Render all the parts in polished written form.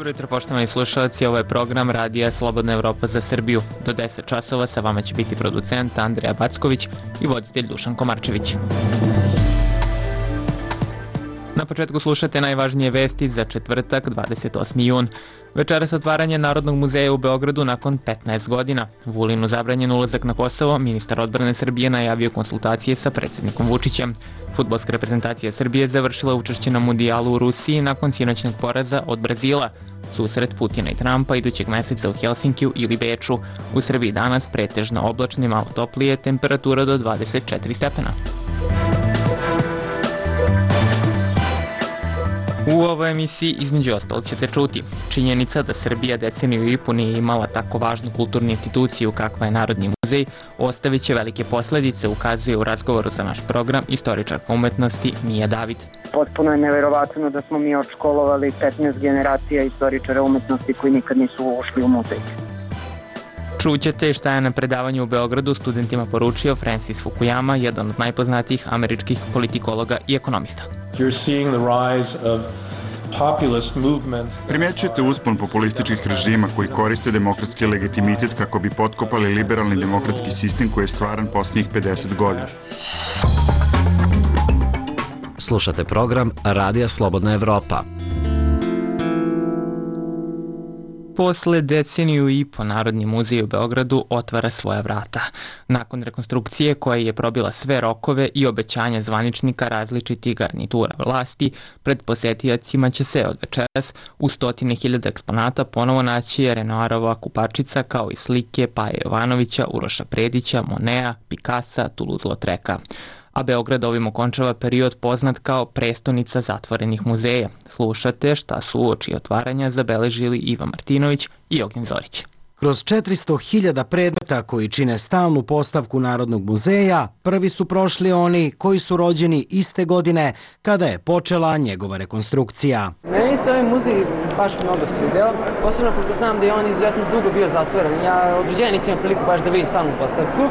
Dobro jutro, poštovani slušalci, ovo je program Radija Slobodna Evropa za Srbiju. Do 10 časova sa vama će biti producent Andreja Backović i voditelj Dušan Komarčević. Na početku slušate najvažnije vesti za četvrtak, 28. jun. Večeras otvaranje Narodnog muzeja u Beogradu nakon 15 godina. Vulinu zabranjen ulazak na Kosovo, ministar odbrane Srbije najavio konsultacije sa predsjednikom Vučićem. Fudbalska reprezentacija Srbije završila učešće na mundijalu u Rusiji nakon sinoćnog poraza od Brazila. Susret Putina i Trumpa idućeg meseca u Helsinkiju ili Beču. U Srbiji danas pretežno oblačno i malo toplije, temperatura do 24 stepena. U ovoj emisiji između ostalog ćete čuti činjenica da Srbija deceniju i po nije imala tako važnu kulturnu instituciju kakva je Narodni muzej, ostavit će velike posledice, ukazuje u razgovoru za naš program istoričarka umetnosti Mija David. Potpuno je neverovatno da smo mi odškolovali 15 generacija istoričara umetnosti koji nikad nisu ušli u muzej. Čućete šta je na predavanju u Beogradu studentima poručio Francis Fukuyama, jedan od najpoznatijih američkih politikologa i ekonomista. Primjećujete uspon populističkih režima koji koriste demokratski legitimitet kako bi potkopali liberalni demokratski sistem koji je stvaran posljednjih 50 godina. Slušate program Radija Slobodna Evropa. Posle deceniju i po Narodni muzej u Beogradu otvara svoja vrata. Nakon rekonstrukcije koja je probila sve rokove i obećanja zvaničnika različitih garnitura vlasti, pred posetiocima će se od večeras u 100.000 eksponata ponovo naći Renoirova kupačica kao i slike Paje Jovanovića, Uroša Predića, Monea, Picassa, Toulouse-Lautreka. A Beograd ovim okončava period poznat kao prestonica zatvorenih muzeja. Slušate šta su uoči otvaranja zabeležili Iva Martinović i Ognjen Zorić. Kroz 400.000 predmeta koji čine stalnu postavku Narodnog muzeja, prvi su prošli oni koji su rođeni iste godine kada je počela njegova rekonstrukcija. Meni se ovaj muzej baš mnogo svideo, posebno pošto znam da je on izuzetno dugo bio zatvoren. Ja od rođenja nisam imao priliku baš da vidim stalnu postavku.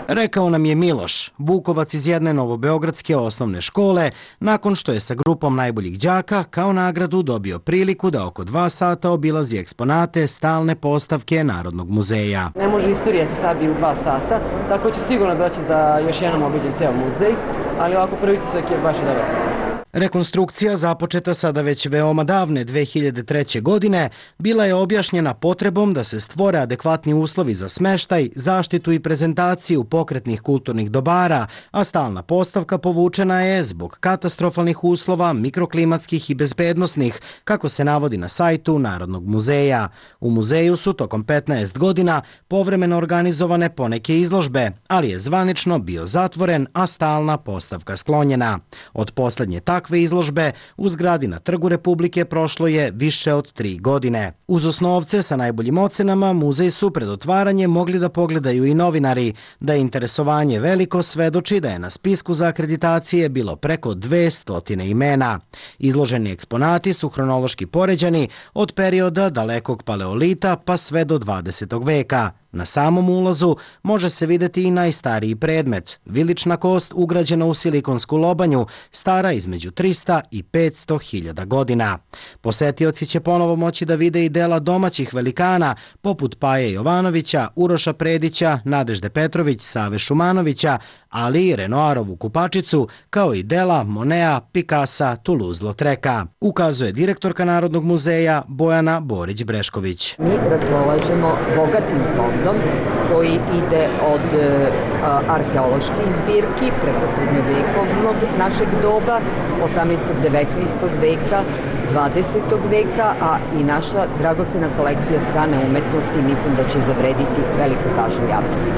Rekao nam je Miloš, Vukovac iz jedne novobeogradske osnovne škole, nakon što je sa grupom najboljih đaka kao nagradu dobio priliku da oko 2 sata obilazi eksponate stalne postavke Narodnog muzeja. Ne može istorija se sabije u 2 sata, tako ću sigurno doći da još jednom obiđem ceo muzej, ali ovako prvi utisak je baš i dobar muzej. Rekonstrukcija, započeta sada već veoma davne 2003. godine, bila je objašnjena potrebom da se stvore adekvatni uslovi za smeštaj, zaštitu i prezentaciju pokretnih kulturnih dobara, a stalna postavka povučena je zbog katastrofalnih uslova, mikroklimatskih i bezbednosnih, kako se navodi na sajtu Narodnog muzeja. U muzeju su tokom 15 godina povremeno organizovane poneke izložbe, ali je zvanično bio zatvoren, a stalna postavka sklonjena. Od poslednje takve izložbe u zgradi na Trgu Republike prošlo je više od 3 godine. Uz osnovce sa najboljim ocenama, muzej su pred otvaranje mogli da pogledaju i novinari. Da je interesovanje veliko svedoči da je na spisku za akreditacije bilo preko 200 imena. Izloženi eksponati su hronološki poređani od perioda dalekog paleolita pa sve do 20. veka. Na samom ulazu može se videti i najstariji predmet, vilična kost ugrađena u silikonsku lobanju, stara između 300 i 500.000 godina. Posetioci će ponovo moći da vide i dela domaćih velikana, poput Paje Jovanovića, Uroša Predića, Nadežde Petrović, Save Šumanovića, ali i Renoirovu kupačicu, kao i dela Monea, Picassa, Toulouse-Lautreka, ukazuje direktorka Narodnog muzeja Bojana Borić-Brešković. Mi raspolažemo bogatim fondom koji ide od arheoloških zbirki preko srednjovekovnog našeg doba, 18. 19. veka, 20. veka, a i naša dragocena kolekcija strane umetnosti mislim da će zavrediti veliku pažnju javnosti.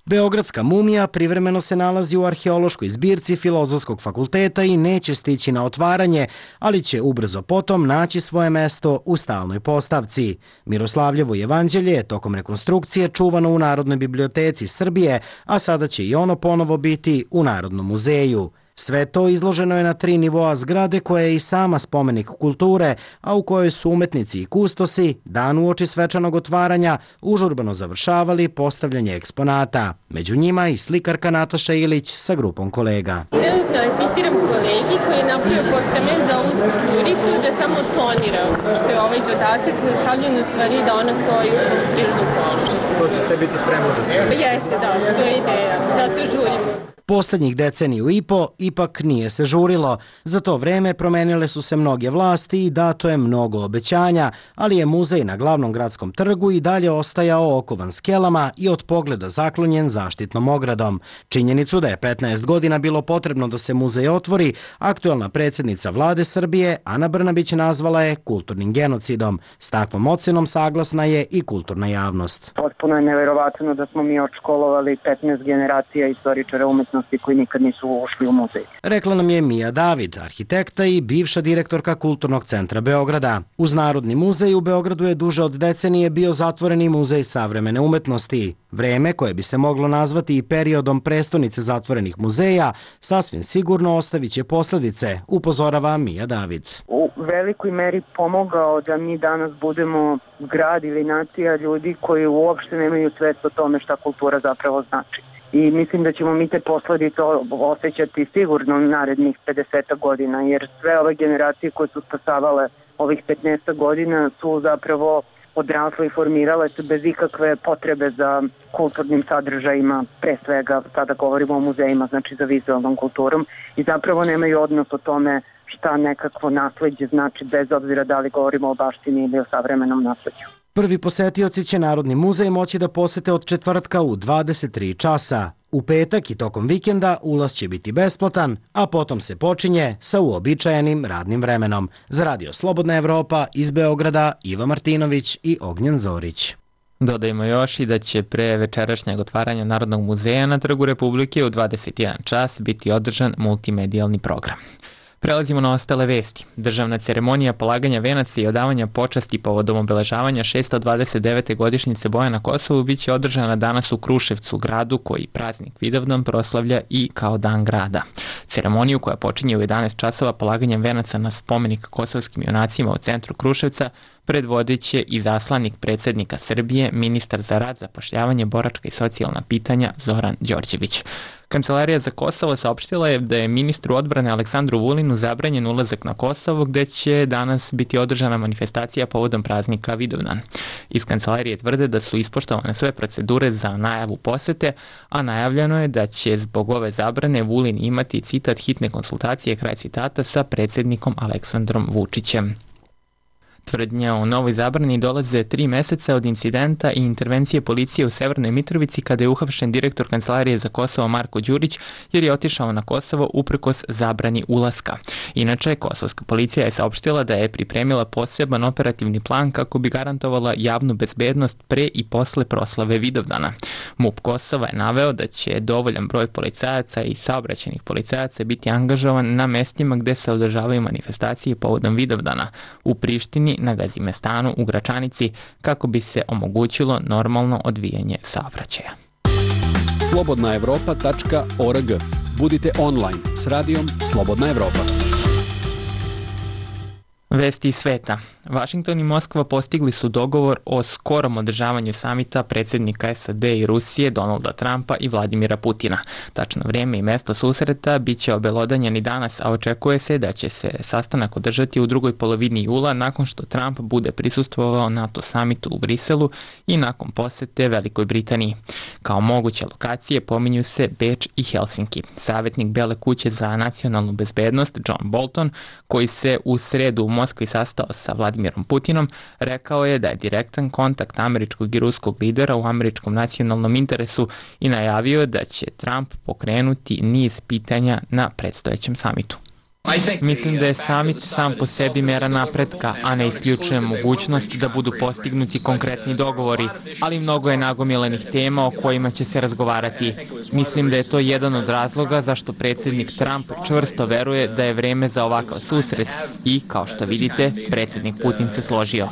Beogradska mumija privremeno se nalazi u arheološkoj zbirci Filozofskog fakulteta i neće stići na otvaranje, ali će ubrzo potom naći svoje mesto u stalnoj postavci. Miroslavljevo jevanđelje je tokom rekonstrukcije čuvano u Narodnoj biblioteci Srbije, a sada će i ono ponovo biti u Narodnom muzeju. Sve to izloženo je na 3 nivoa zgrade koja je i sama spomenik kulture, a u kojoj su umetnici i kustosi, dan uoči svečanog otvaranja, užurbano završavali postavljanje eksponata. Među njima i slikarka Nataša Ilić sa grupom kolega. Trenutno asistiram kolegi koji je napravio postament za ovu skulpturicu da samo tonira, pošto je ovaj dodatak stavljen u stvari da ona stoji u svom prirodnom položaju. To će sve biti spremno za sve? Pa jeste, da, to je ideja, zato žurimo. Poslednjih deceniju i po ipak nije se žurilo. Za to vreme promenile su se mnoge vlasti i dato je mnogo obećanja, ali je muzej na glavnom gradskom trgu i dalje ostajao okovan skelama i od pogleda zaklonjen zaštitnom ogradom. Činjenicu da je 15 godina bilo potrebno da se muzej otvori, aktuelna predsjednica vlade Srbije Ana Brnabić nazvala je kulturnim genocidom. S takvom ocenom saglasna je i kulturna javnost. Potpuno je neverovatno da smo mi odškolovali 15 generacija istoričara umetnosti koji nikad nisu ušli u muzej. Rekla nam je Mija David, arhitekta i bivša direktorka Kulturnog centra Beograda. Uz Narodni muzej u Beogradu je duže od decenije bio zatvoreni muzej savremene umetnosti. Vreme koje bi se moglo nazvati i periodom prestonice zatvorenih muzeja sasvim sigurno ostavit će posledice, upozorava Mija David. U velikoj meri pomogao da mi danas budemo grad ili nacija ljudi koji uopšte nemaju svest o tome šta kultura zapravo znači. I mislim da ćemo mi te posledice osjećati sigurno narednih 50 godina, jer sve ove generacije koje su stasavale ovih 15 godina su zapravo odrasle i formirale se bez ikakve potrebe za kulturnim sadržajima, pre svega sada govorimo o muzejima, znači za vizualnom kulturom, i zapravo nemaju odnos o tome šta nekakvo nasleđe znači, bez obzira da li govorimo o baštini ili o savremenom nasleđu. Prvi posetioci će Narodni muzej moći da posete od četvrtka u 23 časa. U petak i tokom vikenda ulaz će biti besplatan, a potom se počinje sa uobičajenim radnim vremenom. Za Radio Slobodna Evropa iz Beograda Iva Martinović i Ognjen Zorić. Dodajmo još i da će pre večerašnjeg otvaranja Narodnog muzeja na Trgu Republike u 21 čas biti održan multimedijalni program. Prelazimo na ostale vesti. Državna ceremonija polaganja venaca i odavanja počasti povodom obeležavanja 629. godišnjice boja na Kosovu biće održana danas u Kruševcu, gradu koji praznik Vidovdan proslavlja i kao dan grada. Ceremoniju koja počinje u 11 časova polaganjem venaca na spomenik kosovskim junacima u centru Kruševca predvodit će i zaslanik predsjednika Srbije, ministar za rad, zapošljavanje, boračka i socijalna pitanja Zoran Đorđević. Kancelarija za Kosovo saopštila je da je ministru odbrane Aleksandru Vulinu zabranjen ulazak na Kosovo, gde će danas biti održana manifestacija povodom praznika Vidovdan. Iz kancelarije tvrde da su ispoštovane sve procedure za najavu posete, a najavljeno je da će zbog ove zabrane Vulin imati citat hitne konsultacije, kraj citata, sa predsjednikom Aleksandrom Vučićem. Tvrdnje o novoj zabrani dolaze 3 meseca od incidenta i intervencije policije u Severnoj Mitrovici kada je uhapšen direktor Kancelarije za Kosovo Marko Đurić jer je otišao na Kosovo uprkos zabrani ulaska. Inače, kosovska policija je saopštila da je pripremila poseban operativni plan kako bi garantovala javnu bezbednost pre i posle proslave Vidovdana. MUP Kosova je naveo da će dovoljan broj policajaca i saobraćajnih policajaca biti angažovan na mestima gde se održavaju manifestacije povodom Vidovdana, u Prištini, na Gazimestanu, u Gračanici, kako bi se omogućilo normalno odvijanje saobraćaja. slobodnaevropa.org. Budite online s radijom Slobodna Evropa. Vesti iz sveta. Vašington i Moskva postigli su dogovor o skorom održavanju samita predsjednika SAD i Rusije Donalda Trumpa i Vladimira Putina. Tačno vrijeme i mesto susreta bit će obelodanjeni danas, a očekuje se da će se sastanak održati u drugoj polovini jula nakon što Trump bude prisustvovao NATO samitu u Briselu i nakon posete Velikoj Britaniji. Kao moguće lokacije pominju se Beč i Helsinki. Savjetnik Bele kuće za nacionalnu bezbednost John Bolton, koji se u sredu u Moskvi sastao sa Vladimirom Putinom, rekao je da je direktan kontakt američkog i ruskog lidera u američkom nacionalnom interesu i najavio da će Trump pokrenuti niz pitanja na predstojećem samitu. Mislim da je samit sam po sebi mera napretka, a ne isključuje mogućnost da budu postignuti konkretni dogovori, ali mnogo je nagomilenih tema o kojima će se razgovarati. Mislim da je to jedan od razloga zašto predsjednik Trump čvrsto veruje da je vreme za ovakav susret i, kao što vidite, predsjednik Putin se složio.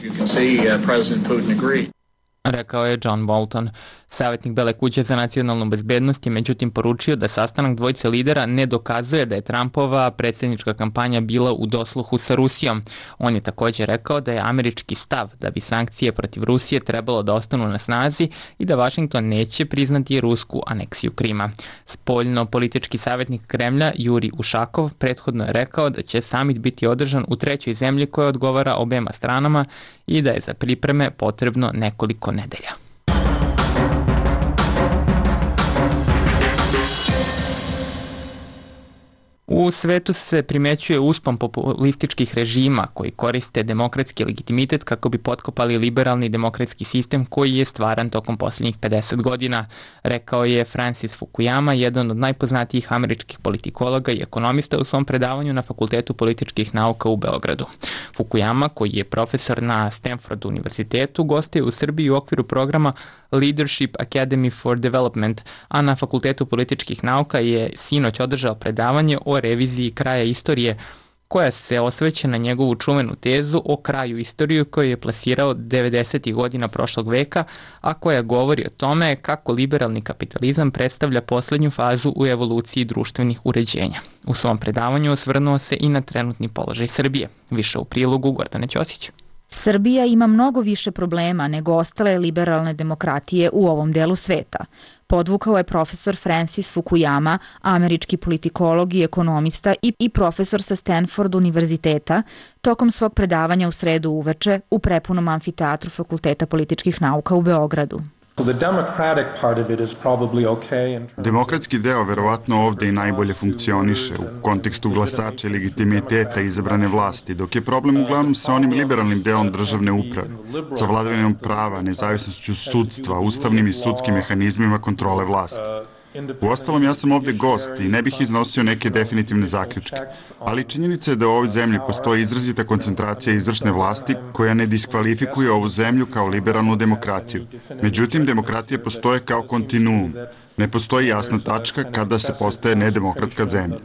rekao je John Bolton. Savjetnik Bele kuće za nacionalnu bezbednost je međutim poručio da sastanak dvojice lidera ne dokazuje da je Trumpova predsjednička kampanja bila u dosluhu sa Rusijom. On je također rekao da je američki stav da bi sankcije protiv Rusije trebalo da ostanu na snazi i da Washington neće priznati rusku aneksiju Krima. Spoljno-politički savjetnik Kremlja Juri Ušakov prethodno je rekao da će samit biti održan u trećoj zemlji koja odgovara obema stranama i da je za pripreme potrebno nekoliko nedelja. U svetu se primećuje uspon populističkih režima koji koriste demokratski legitimitet kako bi potkopali liberalni demokratski sistem koji je stvaran tokom posljednjih 50 godina, rekao je Francis Fukuyama, jedan od najpoznatijih američkih politikologa i ekonomista u svom predavanju na Fakultetu političkih nauka u Beogradu. Fukuyama, koji je profesor na Stanford univerzitetu, gostuje u Srbiji u okviru programa Leadership Academy for Development, a na Fakultetu političkih nauka je sinoć održao predavanje o reviziji kraja istorije, koja se osvrće na njegovu čuvenu tezu o kraju istorije koju je plasirao 90. godina prošlog veka, a koja govori o tome kako liberalni kapitalizam predstavlja posljednju fazu u evoluciji društvenih uređenja. U svom predavanju osvrnuo se i na trenutni položaj Srbije. Više u prilogu Gordane Ćosić. Srbija ima mnogo više problema nego ostale liberalne demokratije u ovom delu sveta. Podvukao je profesor Francis Fukuyama, američki politikolog i ekonomista i profesor sa Stanford univerziteta, tokom svog predavanja u sredu uveče u prepunom amfiteatru Fakulteta političkih nauka u Beogradu. Demokratski deo verovatno ovde i najbolje funkcioniše u kontekstu glasača i legitimiteta izabrane vlasti, dok je problem uglavnom sa onim liberalnim delom državne uprave, sa vladavinom prava, nezavisnošću sudstva, ustavnim i sudskim mehanizmima kontrole vlasti. Uostalom, ja sam ovde gost i ne bih iznosio neke definitivne zaključke, ali činjenica je da u ovoj zemlji postoji izrazita koncentracija izvršne vlasti koja ne diskvalifikuje ovu zemlju kao liberalnu demokratiju. Međutim, demokratija postoje kao kontinuum. Ne postoji jasna tačka kada se postaje nedemokratska zemlja.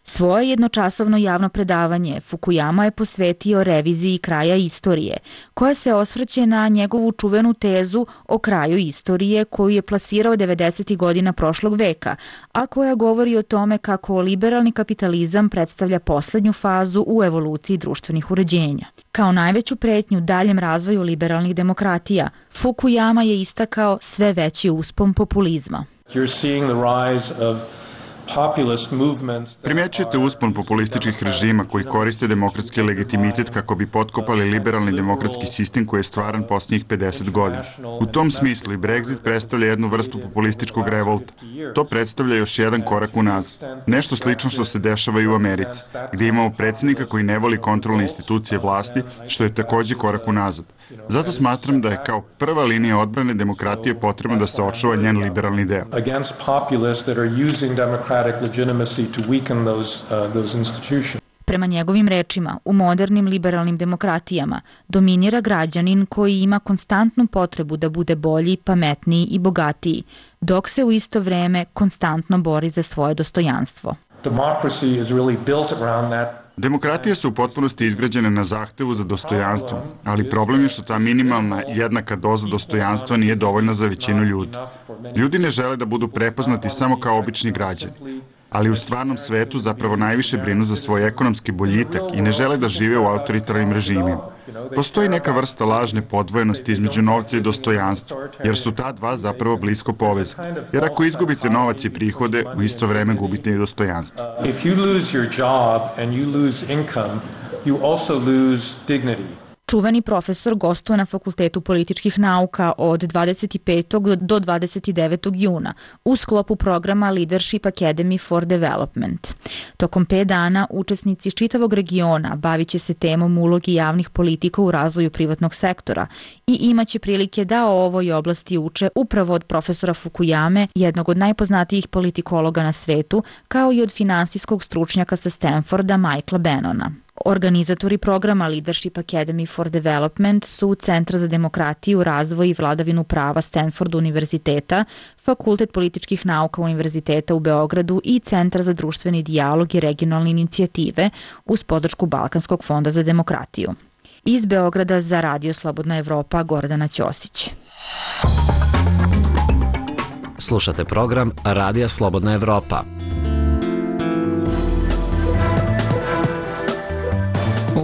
Svoje jednočasovno javno predavanje Fukuyama je posvetio reviziji kraja istorije, koja se osvrće na njegovu čuvenu tezu o kraju istorije koju je plasirao 90. godina prošlog veka, a koja govori o tome kako liberalni kapitalizam predstavlja posljednju fazu u evoluciji društvenih uređenja. Kao najveću pretnju daljem razvoju liberalnih demokratija, Fukuyama je istakao sve veći uspon populizma. Primećujete uspon populističkih režima koji koriste demokratski legitimitet kako bi potkopali liberalni demokratski sistem koji je stvaran posljednjih 50 godina. U tom smislu i Brexit predstavlja jednu vrstu populističkog revolta. To predstavlja još jedan korak unazad. Nešto slično što se dešava i u Americi, gdje imamo predsjednika koji ne voli kontrolne institucije vlasti, što je također korak unazad. Zato smatram da je kao prva linija odbrane demokratije potrebno da se očuva njen liberalni deo. Prema njegovim rečima, u modernim liberalnim demokratijama dominira građanin koji ima konstantnu potrebu da bude bolji, pametniji i bogatiji, dok se u isto vreme konstantno bori za svoje dostojanstvo. Demokratije su u potpunosti izgrađene na zahtevu za dostojanstvo, ali problem je što ta minimalna jednaka doza dostojanstva nije dovoljna za većinu ljudi. Ljudi ne žele da budu prepoznati samo kao obični građani, ali u stvarnom svetu zapravo najviše brinu za svoj ekonomski boljitak i ne žele da žive u autoritarnim režimima. Postoji neka vrsta lažne podvojenosti između novca i dostojanstva, jer su ta dva zapravo blisko povezani. Jer ako izgubite novac i prihode, u isto vreme gubite i dostojanstvo. Čuveni profesor gostuje na Fakultetu političkih nauka od 25. do 29. juna u sklopu programa Leadership Academy for Development. Tokom 5 dana učesnici iz čitavog regiona bavit će se temom ulogi javnih politika u razvoju privatnog sektora i imaće prilike da o ovoj oblasti uče upravo od profesora Fukuyame, jednog od najpoznatijih politikologa na svetu, kao i od finansijskog stručnjaka sa Stanforda Michaela Bannona. Organizatori programa Leadership Academy for Development su Centar za demokratiju, razvoj i vladavinu prava Stanford univerziteta, Fakultet političkih nauka Univerziteta u Beogradu i Centar za društveni dijalog i regionalne inicijative uz podršku Balkanskog fonda za demokratiju. Iz Beograda za Radio Slobodna Evropa Gordana Ćosić. Slušate program Radija Slobodna Evropa.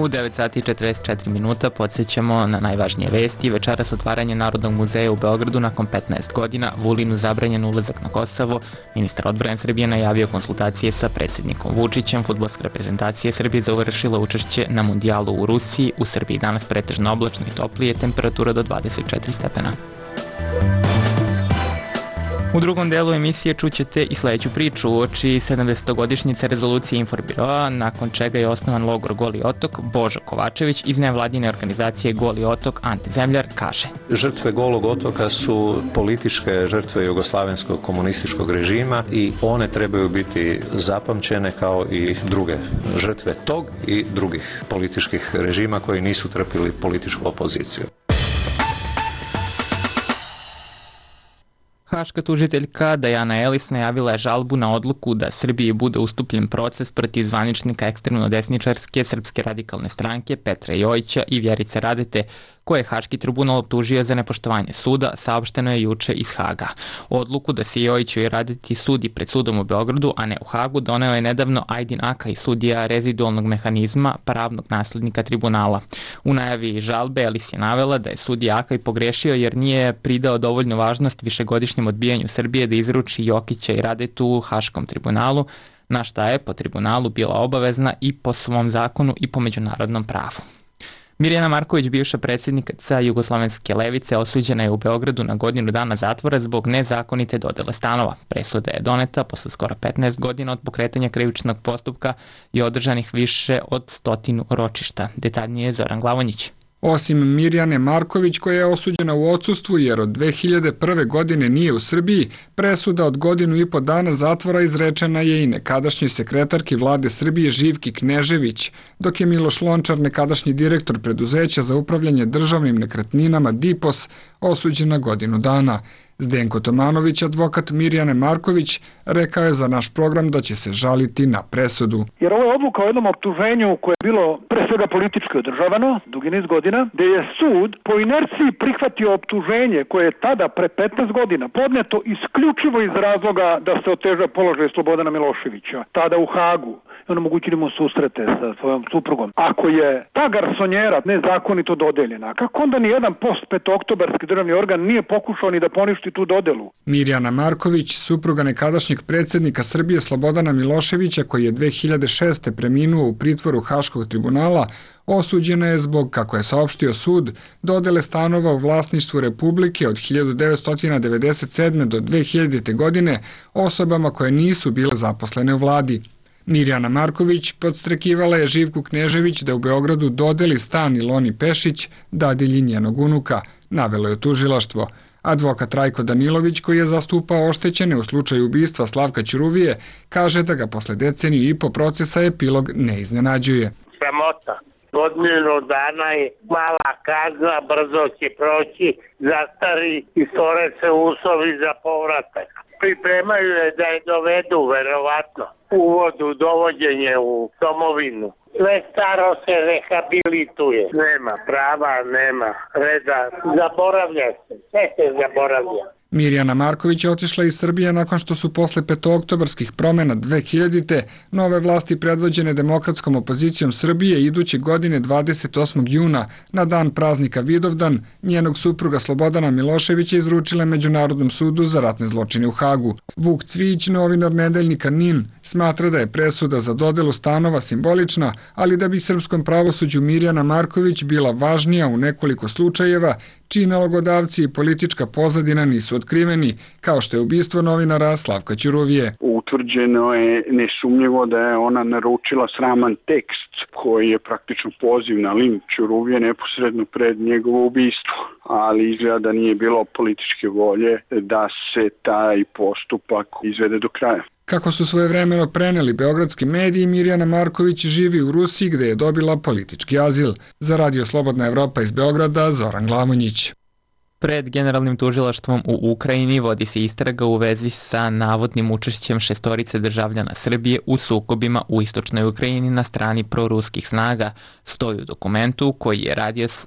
U 9 sati i 44 minuta podsjećamo na najvažnije vesti. Večeras otvaranje Narodnog muzeja u Beogradu nakon 15 godina, Vulinu zabranjen ulazak na Kosovo, ministar odbrane Srbije najavio konsultacije sa predsjednikom Vučićem, fudbalska reprezentacija Srbije završila učešće na mundijalu u Rusiji, u Srbiji danas pretežno oblačno i toplije, temperatura do 24 stepena. U drugom delu emisije čućete i sledeću priču uoči 70-godišnjice rezolucije Inforbiroa, nakon čega je osnovan logor Goli otok. Božo Kovačević iz nevladine organizacije Goli otok Ante Zemljar kaže: Žrtve Golog otoka su političke žrtve jugoslavenskog komunističkog režima i one trebaju biti zapamćene kao i druge žrtve tog i drugih političkih režima koji nisu trpili političku opoziciju. Haška tužiteljka Dajana Elis najavila je žalbu na odluku da Srbiji bude ustupljen proces protiv zvaničnika ekstremno-desničarske Srpske radikalne stranke Petra Jojića i Vjerice Radete, koje je Haški tribunal optužio za nepoštovanje suda, saopšteno je juče iz Haga. Odluku da se Jojiću i Radeti sudi pred sudom u Beogradu, a ne u Hagu, doneo je nedavno Ajdin Akaj, sudija rezidualnog mehanizma, pravnog naslednika tribunala. U najavi žalbe Elis je navela da je sudija Akaj pogrešio jer nije pridao dovoljnu važnost višegodišnjem odbijanju Srbije da izruči Jokića i Radetu u Haškom tribunalu, na šta je po tribunalu bila obavezna i po svom zakonu i po međunarodnom pravu. Mirjana Marković, bivša predsjednica Jugoslovenske levice, osuđena je u Beogradu na godinu dana zatvora zbog nezakonite dodele stanova. Presuda je doneta posle skoro 15 godina od pokretanja krivičnog postupka i održanih više od 100 ročišta. Detaljnije Zoran Glavonjić. Osim Mirjane Marković, koja je osuđena u odsustvu jer od 2001. godine nije u Srbiji, presuda od godinu i po dana zatvora izrečena je i nekadašnjoj sekretarki vlade Srbije Živki Knežević, dok je Miloš Lončar, nekadašnji direktor preduzeća za upravljanje državnim nekretninama DIPOS, osuđen na godinu dana. Zdenko Tomanović, advokat Mirjane Marković, rekao je za naš program da će se žaliti na presudu. Jer ovo je odluka o jednom optuženju koje je bilo pre svega politički održavano, dugi niz godina, gde je sud po inerciji prihvatio optuženje koje je tada pre 15 godina podneto isključivo iz razloga da se oteža položaj Slobodana Miloševića, tada u Hagu. Onemogućili mu susrete sa svojom suprugom. Ako je ta garsonjera nezakonito dodeljena, kako onda ni jedan post-petooktobarski državni organ nije pokušao ni da poništi tu dodelu? Mirjana Marković, supruga nekadašnjeg predsjednika Srbije Slobodana Miloševića, koji je 2006. preminuo u pritvoru Haškog tribunala, osuđena je zbog, kako je saopštio sud, dodele stanova u vlasništvu Republike od 1997. do 2000. godine osobama koje nisu bile zaposlene u vladi. Mirjana Marković podstrekivala je Živku Knežević da u Beogradu dodeli stan Iloni Pešić, dadilji njenog unuka, navelo je tužilaštvo. Advokat Rajko Danilović, koji je zastupao oštećene u slučaju ubistva Slavka Ćuruvije, kaže da ga posle deceniju i po procesa epilog ne iznenađuje. Sramota. Godinu dana je mala kazna, brzo će proći, zastari i stvore se uslovi za povratak. Pripremaju je da je dovedu, verovatno, uvodu, dovođenje u domovinu. Sve staro se rehabilituje. Nema prava, nema reda. Zaboravlja se. Sve se zaboravlja. Mirjana Marković je otišla iz Srbije nakon što su posle petooktobarskih promena 2000. nove vlasti predvođene demokratskom opozicijom Srbije iduće godine 28. juna na dan praznika Vidovdan njenog supruga Slobodana Miloševića izručile Međunarodnom sudu za ratne zločine u Hagu. Vuk Cvijić, novinar nedeljnika NIN, smatra da je presuda za dodelu stanova simbolična, ali da bi srpskom pravosuđu Mirjana Marković bila važnija u nekoliko slučajeva čiji nalogodavci i politička pozadina nisu otkriveni, kao što je ubistvo novinara Slavka Ćuruvije. Utvrđeno je nesumnjivo da je ona naručila sraman tekst koji je praktično poziv na linč Ćuruvije neposredno pred njegovo ubistvo, ali izgleda da nije bilo političke volje da se taj postupak izvede do kraja. Kako su svojevremeno preneli beogradski mediji, Mirjana Marković živi u Rusiji gde je dobila politički azil. Za Radio Slobodna Evropa iz Beograda, Zoran Glavonjić. Pred Generalnim tužilaštvom u Ukrajini vodi se istraga u vezi sa navodnim učešćem 6 državljana Srbije u sukobima u istočnoj Ukrajini na strani proruskih snaga, stoji u dokumentu koji je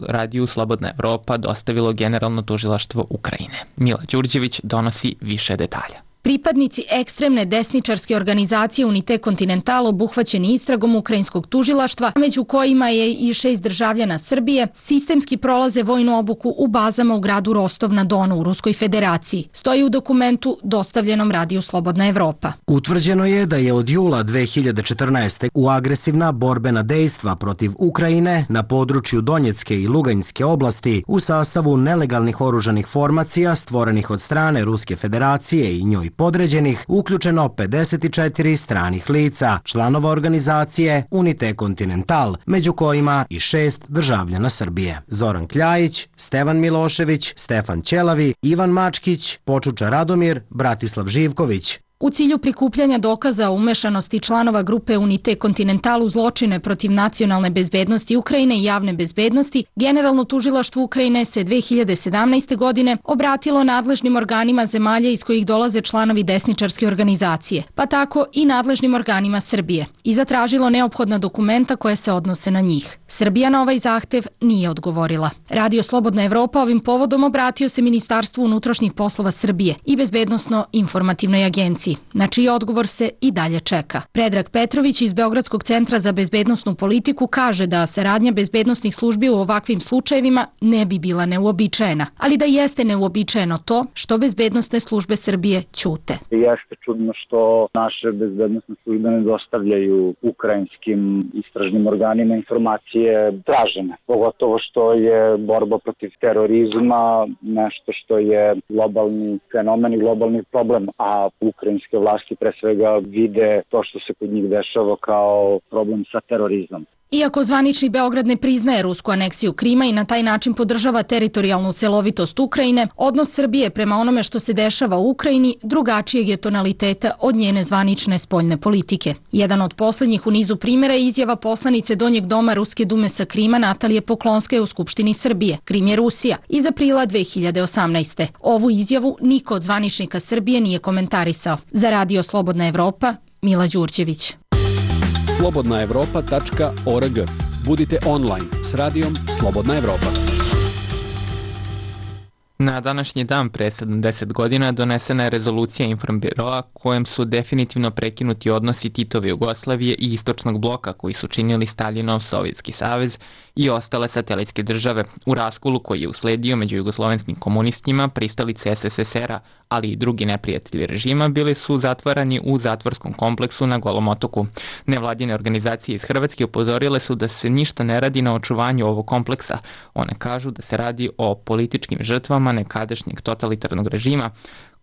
Radio Slobodna Evropa dostavilo Generalno tužilaštvo Ukrajine. Mila Đurđević donosi više detalja. Pripadnici ekstremne desničarske organizacije Unite Continental obuhvaćeni istragom ukrajinskog tužilaštva, među kojima je i 6 državljana Srbije, sistemski prolaze vojnu obuku u bazama u gradu Rostov na Donu u Ruskoj federaciji. Stoji u dokumentu dostavljenom Radiju Slobodna Evropa. Utvrđeno je da je od jula 2014. u agresivna borbena dejstva protiv Ukrajine na području Donjecke i Luganjske oblasti u sastavu nelegalnih oružanih formacija stvorenih od strane Ruske federacije i njoj podređenih uključeno 54 stranih lica, članova organizacije Unite Continental, među kojima i 6 državljana Srbije. Zoran Kljajić, Stevan Milošević, Stefan Ćelavi, Ivan Mačkić, Počuča Radomir, Bratislav Živković. U cilju prikupljanja dokaza o umešanosti članova grupe Unite Continental u zločine protiv nacionalne bezbednosti Ukrajine i javne bezbednosti, Generalno tužilaštvo Ukrajine se 2017. godine obratilo nadležnim organima zemalja iz kojih dolaze članovi desničarske organizacije, pa tako i nadležnim organima Srbije, i zatražilo neophodna dokumenta koje se odnose na njih. Srbija na ovaj zahtev nije odgovorila. Radio Slobodna Evropa ovim povodom obratio se Ministarstvu unutrašnjih poslova Srbije i Bezbednosno-informativnoj agenciji, na čiji odgovor se i dalje čeka. Predrag Petrović iz Beogradskog centra za bezbednosnu politiku kaže da saradnja bezbednosnih službi u ovakvim slučajevima ne bi bila neuobičajena, ali da jeste neuobičajeno to što bezbednosne službe Srbije ćute. Jeste čudno što naše bezbednosne službe ne dostavljaju ukrajinskim istražnim organima informacije tražene, pogotovo što je borba protiv terorizma nešto što je globalni fenomen i globalni problem, a ukrajinske vlasti pre svega vide to što se kod njih dešava kao problem sa terorizmom. Iako zvanični Beograd ne priznaje rusku aneksiju Krima i na taj način podržava teritorijalnu celovitost Ukrajine, odnos Srbije prema onome što se dešava u Ukrajini drugačijeg je tonaliteta od njene zvanične spoljne politike. Jedan od poslednjih u nizu primjera je izjava poslanice Donjeg doma Ruske dume sa Krima Natalije Poklonske u Skupštini Srbije. Krim je Rusija, iz aprila 2018. Ovu izjavu niko od zvaničnika Srbije nije komentarisao. Za Radio Slobodna Evropa, Mila Đurđević. slobodnaevropa.org. Budite online s radijom Slobodna Evropa. Na današnji dan pre 70 godina donesena je rezolucija Informbiroa kojem su definitivno prekinuti odnosi Titove Jugoslavije i Istočnog bloka koji su činili Staljinov Sovjetski savez i ostale satelitske države. U raskolu koji je usledio među jugoslovenskim komunistima, pristalice SSSR-a, ali i drugi neprijatelji režima, bili su zatvarani u zatvorskom kompleksu na Golom otoku. Nevladine organizacije iz Hrvatske upozorile su da se ništa ne radi na očuvanju ovog kompleksa. One kažu da se radi o političkim žrtvama nekadašnjeg totalitarnog režima,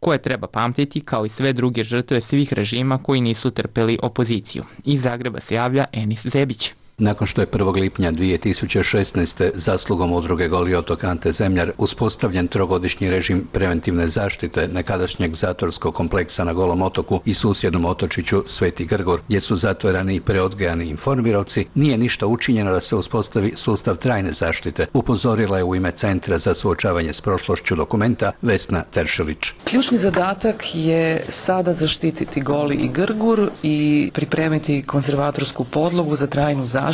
koje treba pamtiti kao i sve druge žrtve svih režima koji nisu trpeli opoziciju. Iz Zagreba se javlja Enis Zebić. Nakon što je 1. lipnja 2016. zaslugom udruge Goli otok Ante Zemljar uspostavljen trogodišnji režim preventivne zaštite nekadašnjeg zatvorskog kompleksa na Golom otoku i susjednom otočiću Sveti Grgur, gdje su zatvorani i preodgajani informirovci, nije ništa učinjeno da se uspostavi sustav trajne zaštite, upozorila je u ime Centra za suočavanje s prošlošću Dokumenta Vesna Teršelić. Ključni zadatak je sada zaštititi Goli i Grgur i pripremiti konzervatorsku podlogu za trajnu zaštitu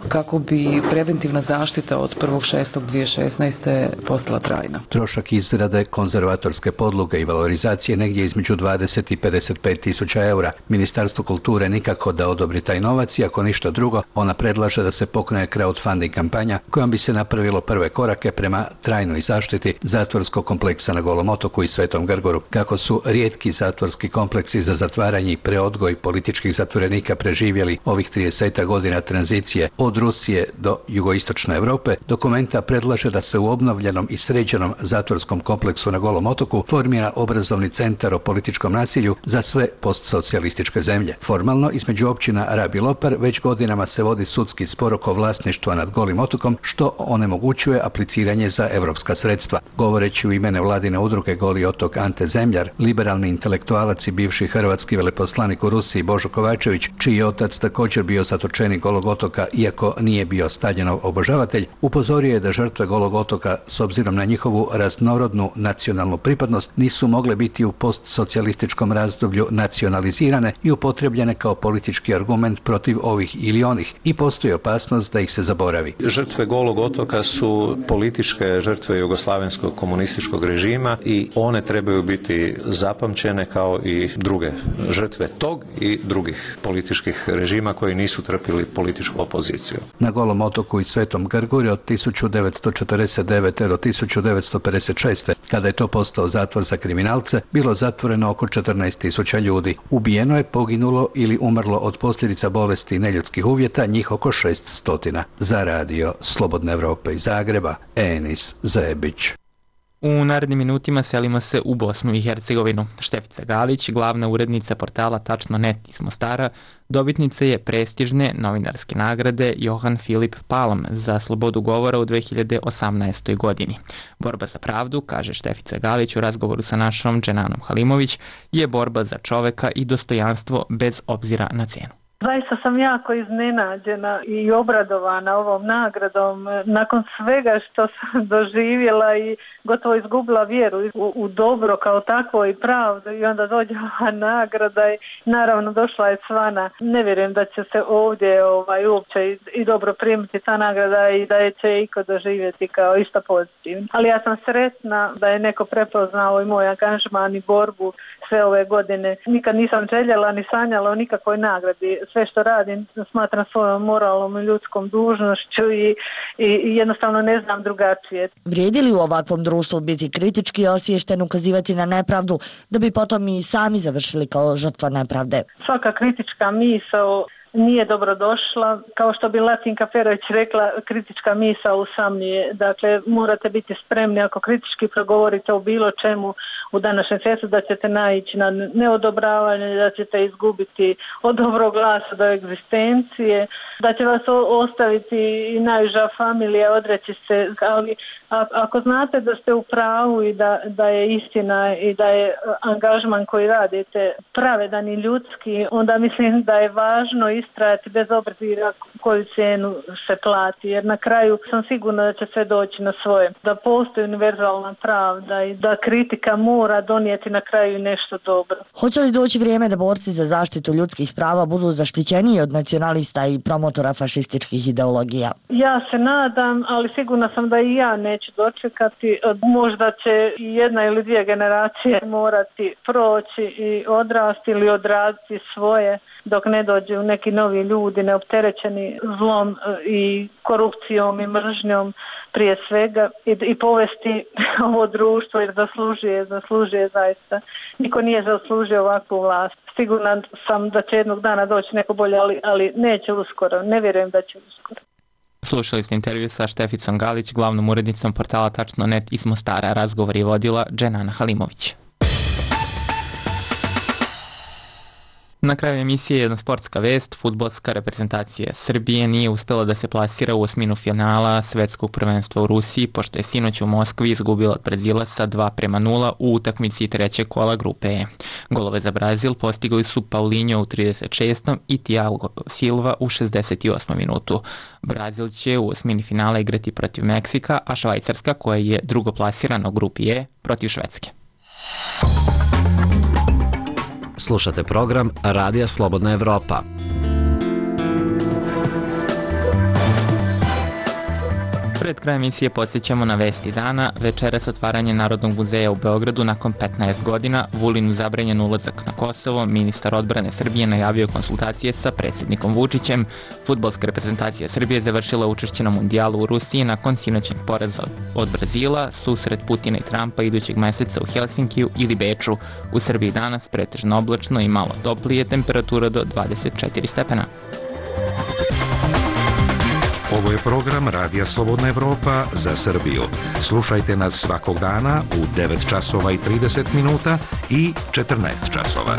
kako bi preventivna zaštita od 1.6.2016. postala trajna. Trošak izrade konzervatorske podloge i valorizacije negdje između 20 i 55 tisuća eura. Ministarstvo kulture nikako da odobri taj novac i ako ništa drugo, ona predlaže da se pokrene crowdfunding kampanja kojom bi se napravilo prve korake prema trajnoj zaštiti zatvorskog kompleksa na Golom otoku i Svetom Grgoru. Kako su rijetki zatvorski kompleksi za zatvaranje i preodgoj političkih zatvorenika preživjeli ovih 30 godina tranzicije od Rusije do jugoistočne Europe, Dokumenta predlaže da se u obnovljenom i sređenom zatvorskom kompleksu na Golom otoku formira obrazovni centar o političkom nasilju za sve postsocijalističke zemlje. Formalno, između općina Rab i Lopar već godinama se vodi sudski spor oko vlasništva nad Golim otokom, što onemogućuje apliciranje za europska sredstva. Govoreći u ime nevladine udruge Goli otok Ante Zemljar, liberalni intelektualac i bivši hrvatski veleposlanik u Rusiji Božo Kovačević, čiji je otac također bio zatočenik Golog otoka otoka, iako nije bio Staljinov obožavatelj, upozorio je da žrtve Golog otoka, s obzirom na njihovu raznorodnu nacionalnu pripadnost, nisu mogle biti u postsocijalističkom razdoblju nacionalizirane i upotrebljene kao politički argument protiv ovih ili onih i postoji opasnost da ih se zaboravi. Žrtve Golog otoka su političke žrtve jugoslavenskog komunističkog režima i one trebaju biti zapamćene kao i druge žrtve tog i drugih političkih režima koji nisu trpili političku opoziciju. Na Golom otoku i Svetom Grguri od 1949. do 1956. kada je to postao zatvor za kriminalce, bilo zatvoreno oko 14.000 ljudi. Ubijeno je, poginulo ili umrlo od posljedica bolesti i neljudskih uvjeta njih oko 600. Za radio Slobodne Evrope iz Zagreba, Enis Zebić. U narednim minutima selimo se u Bosnu i Hercegovinu. Štefica Galić, glavna urednica portala Tačno.net iz Mostara, dobitnica je prestižne novinarske nagrade Johan Filip Palm za slobodu govora u 2018. godini. Borba za pravdu, kaže Štefica Galić u razgovoru sa našom Dženanom Halimović, je borba za čoveka i dostojanstvo bez obzira na cenu. Zaista sam jako iznenađena i obradovana ovom nagradom. Nakon svega što sam doživjela i gotovo izgubila vjeru u dobro kao takvo i pravdu i onda dođe ova nagrada i naravno došla je Cvana. Ne vjerujem da će se ovdje uopće i dobro primiti ta nagrada i da je će iko doživjeti kao išta pozitivno. Ali ja sam sretna da je neko prepoznao i moj angažman i borbu sve ove godine. Nikad nisam željela ni sanjala o nikakvoj nagradi. Sve što radim smatram svojom moralnom i ljudskom dužnošću i jednostavno ne znam drugačije. Vrijedi li u ovakvom društvu biti kritički osviješten, ukazivati na nepravdu, da bi potom i sami završili kao žrtva nepravde? Svaka kritička misao nije dobrodošla. Kao što bi Latinka Perović rekla, kritička misao usamljuje. Dakle, morate biti spremni ako kritički progovorite o bilo čemu u današnjem svijetu da ćete naići na neodobravanje, da ćete izgubiti od dobrog glasa do egzistencije, da će vas ostaviti i najuža familija, odreći se, ali ako znate da ste u pravu i da je istina i da je angažman koji radite pravedan i ljudski, onda mislim da je važno istrajati bez obzira koju cijenu se plati, jer na kraju sam sigurna da će sve doći na svoje, da postoji univerzalna pravda i da kritika mora donijeti na kraju nešto dobro. Hoće li doći vrijeme da borci za zaštitu ljudskih prava budu zaštićeniji od nacionalista i promotora fašističkih ideologija? Ja se nadam, ali sigurna sam da i ja neću dočekati. Možda će i jedna ili dvije generacije morati proći i odrasti ili odraditi svoje dok ne dođu neki novi ljudi neopterećeni zlom i korupcijom i mržnjom prije svega i povesti ovo društvo jer zaslužuje zaista. Niko nije zaslužio ovakvu vlast. Sigurna sam da će jednog dana doći neko bolje, ali neće uskoro. Ne vjerujem da će uskoro. Slušali ste intervju sa Šteficom Galić, glavnom urednicom portala Tačno.net iz Mostara. Razgovor je vodila Dženana Halimović. Na kraju emisije jedna sportska vest. Fudbalska reprezentacija Srbije nije uspela da se plasira u osminu finala svetskog prvenstva u Rusiji, pošto je sinoć u Moskvi izgubila od Brazila sa 2:0 u utakmici trećeg kola grupe E. Golove za Brazil postigli su Paulinho u 36. i Thiago Silva u 68. minutu. Brazil će u osmini finala igrati protiv Meksika, a Švajcarska, koja je drugoplasirana u grupi E, protiv Švedske. Slušate program Radija Slobodna Evropa. Pred krajem emisije podsjećamo na vesti dana. Večeras otvaranje Narodnog muzeja u Beogradu nakon 15 godina. Vulinu zabranjen ulazak na Kosovo. Ministar odbrane Srbije najavio konsultacije sa predsjednikom Vučićem. Fudbalska reprezentacija Srbije završila učešće na mundijalu u Rusiji nakon sinoćnog poraza od Brazila. Susret Putina i Trumpa idućeg meseca u Helsinkiju ili Beču. U Srbiji danas pretežno oblačno i malo toplije, temperatura do 24 stepena. Ovo je program Radija Slobodna Evropa za Srbiju. Slušajte nas svakog dana u 9 časova i 30 minuta i 14 časova.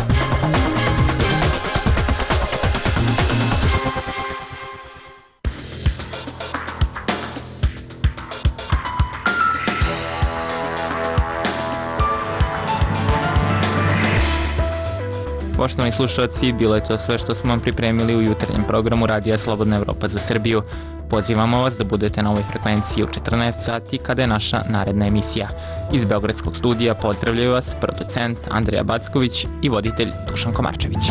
Poštovani slušalci, bilo je to sve što smo vam pripremili u jutarnjem programu Radija Slobodna Evropa za Srbiju. Pozivamo vas da budete na ovoj frekvenciji u 14 sati kada je naša naredna emisija. Iz Beogradskog studija pozdravljaju vas producent Andrija Backović i voditelj Dušan Komarčević.